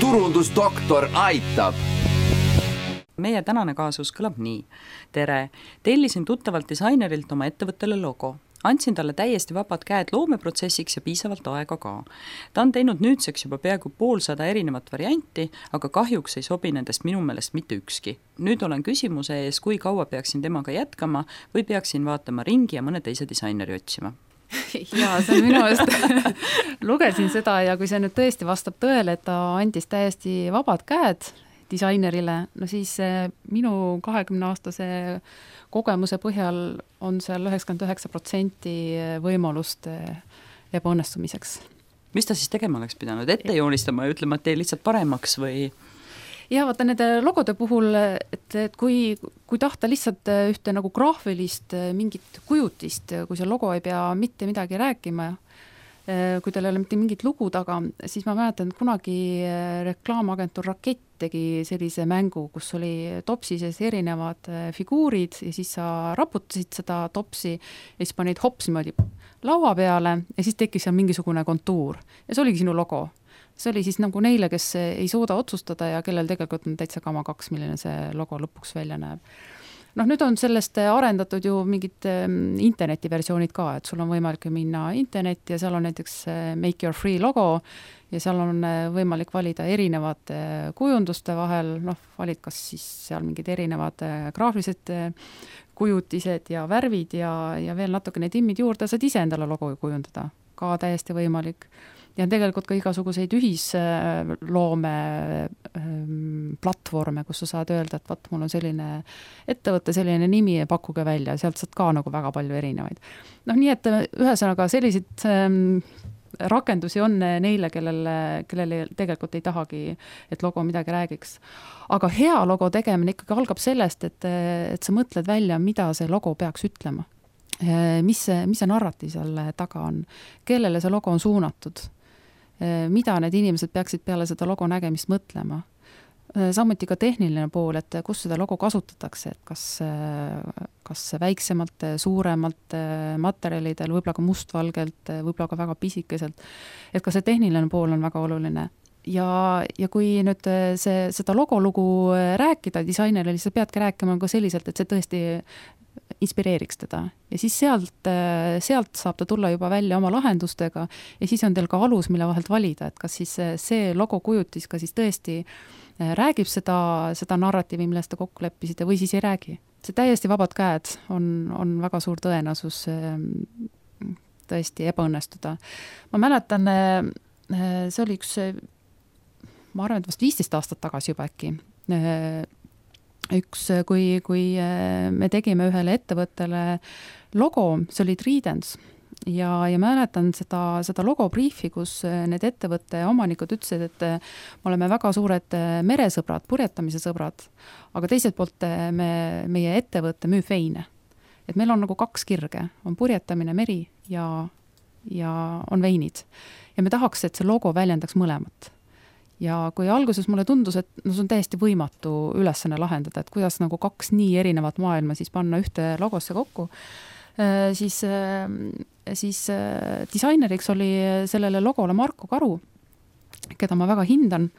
turundusdoktor aitab. Meie tänane kaasus kõlab nii. Tere, tellisin tuttavalt disainerilt oma ettevõttele logo. Andsin talle täiesti vabad käed loomeprotsessiks ja piisavalt aega ka. Ta on teinud nüüdseks juba peaaegu 150 erinevat varianti, aga kahjuks ei sobi nendest minu meelest mitte ükski. Nüüd olen küsimuse ees, kui kaua peaksin temaga jätkama või peaksin vaatama ringi ja mõne teise disaineri otsima. Jaa, see on minu eest. Lugesin seda ja kui see nüüd tõesti vastab tõele, et ta andis täiesti vabad käed disainerile, no siis minu 20-aastase kogemuse põhjal on seal 99% võimalust ebaõnnestumiseks. Mis ta siis tegema oleks pidanud? Ette joonistama ja ütlema, et tee lihtsalt paremaks või? Ja vaata nende logode puhul, et kui tahta lihtsalt ühte nagu graafilist mingit kujutist, kui see logo ei pea mitte midagi rääkima, kui teil ei ole mitte mingit lugu taga, siis ma mäletan, et kunagi reklaamagentuur Rakett tegi sellise mängu, kus oli topsi sees erinevad figuurid ja siis sa raputasid seda topsi ja siis panid hops niimoodi laua peale ja siis tekkis seal mingisugune kontuur ja see oligi sinu logo. See oli siis nagu neile, kes ei suuda otsustada ja kellel tegelikult on täitsa kama 2, milline see logo lõpuks välja näeb. Noh, nüüd on sellest arendatud ju mingid internetiversioonid ka, et sul on võimalik minna internetti ja seal on näiteks Make Your Free logo ja seal on võimalik valida erinevad kujunduste vahel, valid kas siis seal mingid erinevad graafilised kujutised ja värvid ja veel natukene timmid juurde, saad ise endale logo kujundada, ka täiesti võimalik. Ja tegelikult ka igasuguseid ühisloome platvorme, kus sa saad öelda, et mul on selline ettevõtte, selline nimi ja pakkuge välja, sealt saad ka nagu väga palju erinevaid. Nii et ühesõnaga selliseid rakendusi on neile, kellele tegelikult ei tahagi, et logo midagi räägiks. Aga hea logo tegemine ikkagi algab sellest, et sa mõtled välja, mida see logo peaks ütlema. Mis see narratiiv seal taga on, kellele see logo on suunatud, mida need inimesed peaksid peale seda logo nägemist mõtlema. Samuti ka tehniline pool, et kus seda logo kasutatakse, et kas väiksemalt, suuremalt materjalidel, võib-olla ka mustvalgelt, võib-olla ka väga pisikeselt, et ka see tehniline pool on väga oluline. Ja kui nüüd seda logolugu rääkida disainerile, siis sa peadki rääkima ka selliselt, et see tõesti inspireeriks teda. Ja siis sealt saab ta tulla juba välja oma lahendustega ja siis on teil ka alus, mille vahelt valida, et kas siis see logo kujutis ka siis tõesti räägib seda narratiivi, millest te kokku leppisite või siis ei räägi. See täiesti vabad käed on väga suur tõenäosus tõesti ebaõnnestuda. Ma mäletan, see oli ma arvan, et vast 15 aastat tagasi juba äkki, kui me tegime ühele ettevõttele logo, see oli Tridents ja mäletan seda logobriifi, kus need ettevõtte omanikud ütlesid, et me oleme väga suured meresõbrad, purjetamise sõbrad, aga teiselt poolt meie ettevõtte müüb veine. Et meil on nagu 2 kirge, on purjetamine meri ja on veinid. Ja me tahaks, et see logo väljendaks mõlemat. Ja kui alguses mulle tundus, et see on täiesti võimatu ülesanne lahendada, et kuidas nagu 2 nii erinevat maailma siis panna ühte logosse kokku, siis disaineriks oli sellele logole Marko Karu, keda ma väga hindan.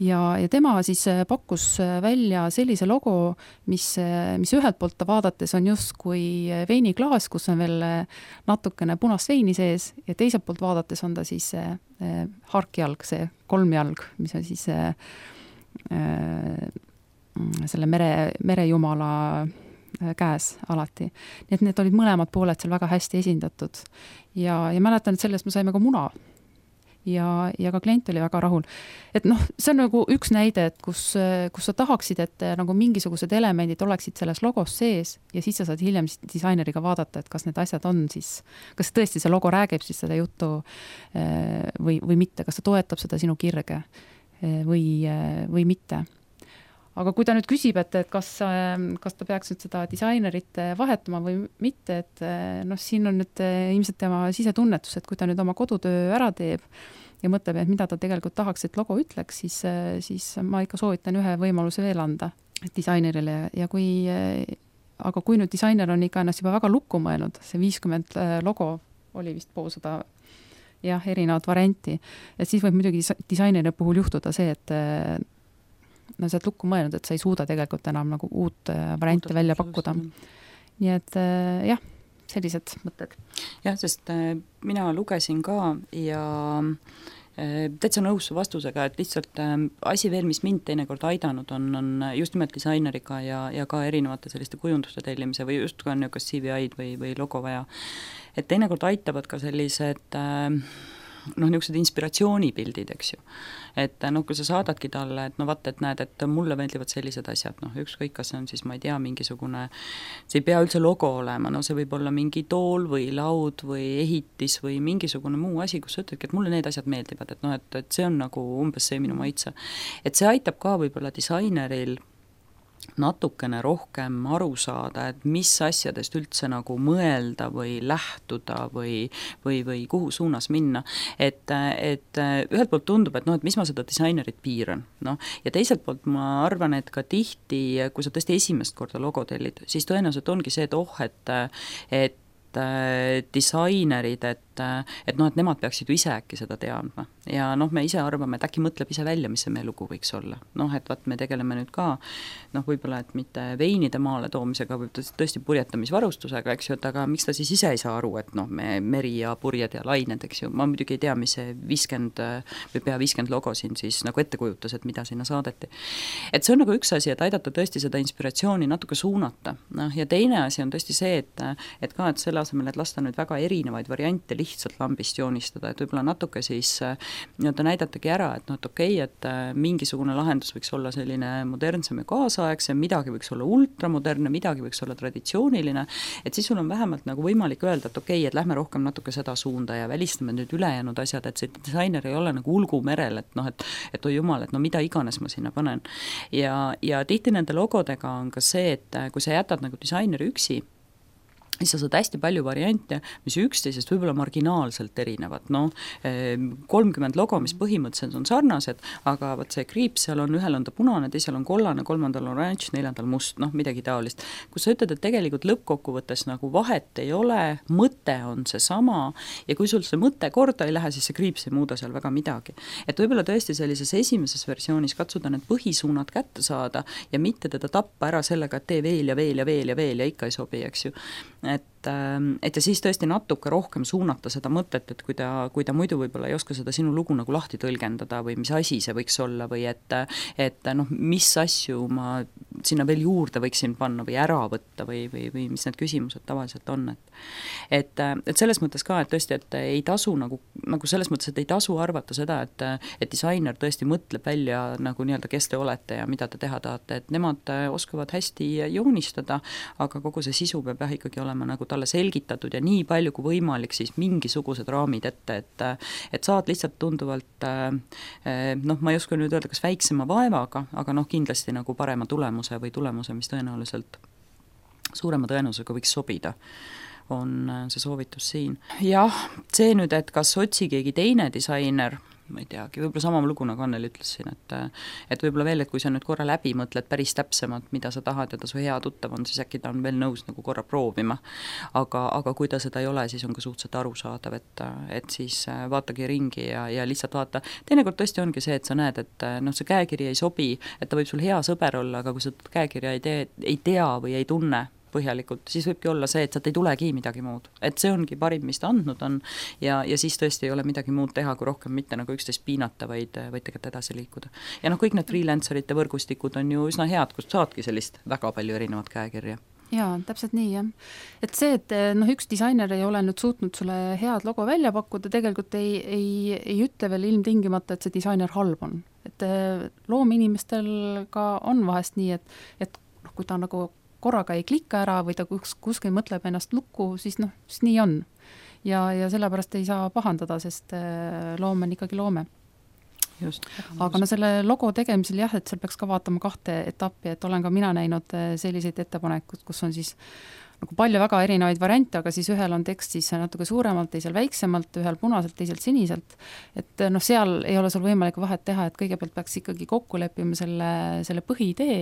Ja tema siis pakkus välja sellise logo, mis ühelt poolt vaadates on just kui veiniklaas, kus on veel natukene punast veini sees ja teiselt poolt vaadates on ta siis harkjalg, see 3 jalg, mis on siis selle merejumala käes alati. Nii et need olid mõlemad pooled seal väga hästi esindatud. Ja mäletan, et sellest me saime ka muna. Ja ka klient oli väga rahul. Et see on nagu üks näide, et kus sa tahaksid, et nagu mingisugused elemendid oleksid selles logos sees ja siis sa saad hiljem disaineriga vaadata, et kas need asjad on siis, kas tõesti see logo räägib siis seda juttu või mitte, kas ta toetab seda sinu kirge või mitte. Aga kui ta nüüd küsib, et kas ta peaks nüüd seda disainerit vahetama või mitte, et siin on nüüd ilmselt tema sisetunnetus, et kui ta nüüd oma kodutöö ära teeb ja mõtleb, et mida ta tegelikult tahaks, et logo ütleks, siis ma ikka soovitan ühe võimaluse veel anda disainerile. Aga kui nüüd disainer on ikka ennast juba väga lukku mõelnud, see 50 logo oli vist poolsada jah, erinevat varianti. Et siis võib muidugi disaineri puhul juhtuda see, et no sa oled lukku mõelnud, et sa ei suuda tegelikult enam nagu uut varianti välja pakkuda. Nii et jah, sellised mõtted. Jah, sest mina lugesin ka ja täitsa nõus su vastusega, et lihtsalt asi veel, mis mind teinekord aidanud on just nimelt disaineriga ja ka erinevate selliste kujunduste tellimise või just ka niisugust CVI-d või logo vaja. Et teinekord aitavad ka sellised niisugused inspiratsioonipildid, eks ju. Et kui sa saadadki talle, et vaata, et näed, et mulle meeldivad sellised asjad, ükskõik, kas see on siis, ma ei tea, mingisugune, see ei pea üldse logo olema, see võib olla mingi tool või laud või ehitis või mingisugune muu asi, kus sa ütledki, et mulle need asjad meeldivad, et see on nagu umbes see minu maitse. Et see aitab ka võib-olla disaineril natukene rohkem aru saada, et mis asjadest üldse nagu mõelda või lähtuda või kuhu suunas minna. Et ühelt poolt tundub, et mis ma seda disainerit piiran. Ja teiselt poolt ma arvan, et ka tihti, kui sa tõesti esimest korda logo tellid, siis tõenäoliselt ongi see, et disainerid, et nemad peaksid ju ise äkki seda teadma. Ja me ise arvame, et äkki mõtleb ise välja, mis see meie lugu võiks olla. Et vaat me tegeleme nüüd ka, võib-olla, et mitte veinide maale toomisega, võib tõesti purjetamisvarustusega, eks ju, et aga miks ta siis ise ei saa aru, et me meri ja purjed ja lained, eks ju, ma muidugi ei tea, mis see 50 või pea 50 logo siin siis nagu ette kujutas, et mida sinna saadeti. Et see on nagu üks asi, et aidata tõesti seda inspiratsiooni natuke suunata. Ja teine asi on tõesti see, et selle asemel, et lasta nüüd väga erinevaid variante lihtsalt lambist joonistada, et võib-olla natuke siis näidatagi ära, et okei, et mingisugune lahendus võiks olla selline modernsem ja kaasaegsem, midagi võiks olla ultramodernne, midagi võiks olla traditsiooniline, et siis sul on vähemalt nagu võimalik öelda, et okei, et lähme rohkem natuke seda suunda ja välistame nüüd ülejäänud asjad, et see disainer ei ole nagu ulgumerel, et oi jumal, et mida iganes ma sinna panen. Ja tihti nende logodega on ka see, et kui sa jätad nagu disaineri üksi, siis sa saad hästi palju variante, mis üksteisest võib-olla marginaalselt erinevad. 30 logo, mis põhimõtteliselt on sarnased, aga võt see kriips seal on, ühel on ta punane, teisel on kollane, kolmandal on oranž, neljandal must, midagi taolist. Kus sa ütled, et tegelikult lõppkokkuvõttes nagu vahet ei ole, mõte on see sama ja kui sul see mõte korda ei lähe, siis see kriips ei muuda seal väga midagi. Et võib-olla tõesti sellises esimeses versioonis katsuda need põhisuunad kätte saada ja mitte teda tappa ära sellega, et tee veel ja veel ja veel ja veel ja ikka ei sobi, eks ju. Et ja siis tõesti natuke rohkem suunata seda mõtet, et kui ta muidu võib-olla ei oska seda sinu lugu nagu lahti tõlgendada või mis asi see võiks olla või et mis asju ma sinna veel juurde võiksin panna või ära võtta või mis need küsimused tavaliselt on. Et selles mõttes ka, et tõesti, et ei tasu nagu selles mõttes, et ei tasu arvata seda, et disainer tõesti mõtleb välja nagu nii-öelda, kes te olete ja mida te teha tahate, et nemad oskavad hästi joonistada, aga kogu see sisu peab ikkagi olema nagu talle selgitatud ja nii palju kui võimalik siis mingisugused raamid ette, et saad lihtsalt tunduvalt ma ei oska nüüd öelda, kas väiksema vaevaga, aga kindlasti nagu parema tulemuse või tulemuse, mis tõenäoliselt suurema tõenäosusega võiks sobida, on see soovitus siin. Jah, see nüüd, et kas otsi keegi teine disainer, ma ei teagi, võib-olla sama lugu nagu Anneli ütles siin, et võib-olla veel, et kui sa nüüd korra läbi mõtled päris täpsemalt, mida sa tahad ja ta su hea tuttav on, siis äkki ta on veel nõus nagu korra proovima. Aga kui ta seda ei ole, siis on ka suhteliselt arusaadav, et siis vaatagi ringi ja lihtsalt vaata. Teinekord tõesti ongi see, et sa näed, et see käekiri ei sobi, et ta võib sul hea sõber olla, aga kui sa käekirja ei tea või ei tunne põhjalikult, siis võibki olla see, et sealt ei tulegi midagi muud. Et see ongi parim, mis ta andnud on ja siis tõesti ei ole midagi muud teha, kui rohkem mitte nagu üksteist piinata, vaid tegelikult edasi liikuda. Ja kõik need freelancerite võrgustikud on ju üsna head, kust saadki sellist väga palju erinevat käekirja. Jaa, täpselt nii, jah. Et see, et üks disainer ei ole nüüd suutnud sulle head logo välja pakkuda, tegelikult ei ütle veel ilmtingimata, et see disainer halb on. Et loominimestel ka on vahest nii, et kui ta nagu korraga ei klikka ära või ta kuskil mõtleb ennast lukku, siis nii on. Ja sellepärast ei saa pahandada, sest loome on ikkagi loome. Just. Aga selle logo tegemisel jah, et seal peaks ka vaatama 2 etappi, et olen ka mina näinud selliseid ettepanekud, kus on siis nagu palju väga erinevaid variante, aga siis ühel on tekst siis natuke suuremalt, teisel väiksemalt, ühel punaselt, teiselt siniselt. Et seal ei ole sul võimalik vahet teha, et kõigepealt peaks ikkagi kokku leppima selle põhiidee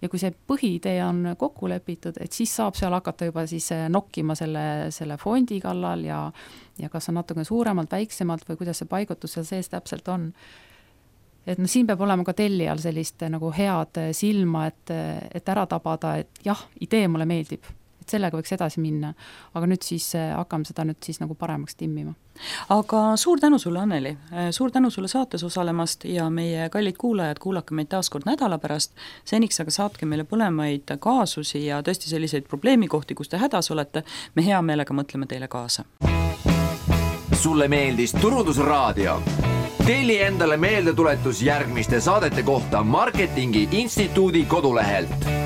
ja kui see põhiidee on kokku lepitud, et siis saab seal hakata juba siis nokkima selle fondi kallal ja kas on natuke suuremalt, väiksemalt või kuidas see paigutus seal sees täpselt on. Et siin peab olema ka tellijal sellist nagu head silma, et ära tabada, et jah, idee mulle meeldib, et sellega võiks edasi minna, aga nüüd siis hakkame seda nüüd siis nagu paremaks timmima. Aga suur tänu sulle, Anneli, suur tänu sulle saates osalemast ja meie kallid kuulajad, kuulake meid taas kord nädala pärast, seniks aga saatke meile põlemaid kaasusi ja tõesti selliseid probleemikohti, kus te hädas olete, me hea meelega mõtleme teile kaasa. Sulle meeldis Turundusraadio? Telli endale meeldetuletus järgmiste saadete kohta Marketingi Instituudi kodulehelt.